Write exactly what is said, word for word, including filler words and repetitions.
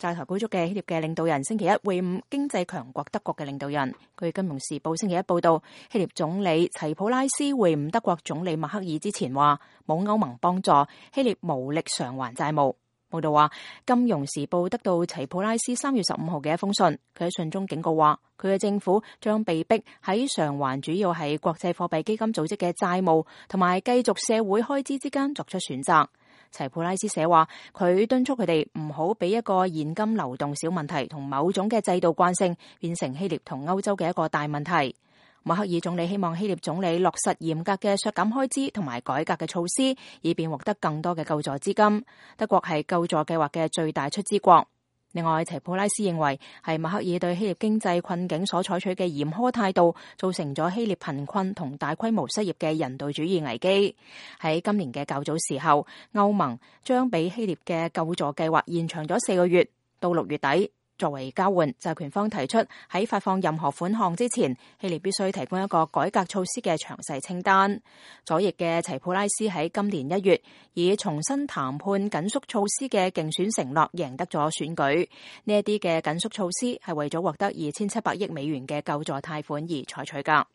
債台高築嘅希臘嘅領導人星期一會晤經濟強國德國嘅領導人。據《金融時報》星期一報道，希臘總理齊普拉斯會晤德國總理默克爾之前話，冇歐盟幫助，希臘無力償還債務。報道話，《金融時報》得到齊普拉斯三月十五號嘅一封信，佢喺信中警告話，佢嘅政府將被逼喺償還主要係國際貨幣基金組織嘅債務同埋繼續社會開支之間作出選擇。齊普拉斯寫話，佢敦促佢哋唔好俾一個現金流動小問題同某種嘅制度慣性變成希臘同歐洲嘅一個大問題。默克爾總理希望希臘總理落實嚴格嘅削減開支同埋改革嘅措施，以便獲得更多嘅救助資金。德國係救助計劃嘅最大出資國。另外，齊普拉斯認為係默克爾對希臘經濟困境所採取嘅嚴苛態度，造成咗希臘貧困同大規模失業嘅人道主義危機。喺今年嘅較早時候，歐盟將俾希臘嘅救助計劃延長咗四個月，到六月底。作為交換，債權方提出喺發放任何款項之前，希臘必須提供一個改革措施嘅詳細清單。左翼嘅齊普拉斯喺今年一月以重新談判緊縮措施嘅競選承諾贏得咗選舉。呢一啲嘅緊縮措施係為咗獲得二千七百億美元嘅救助貸款而採取㗎。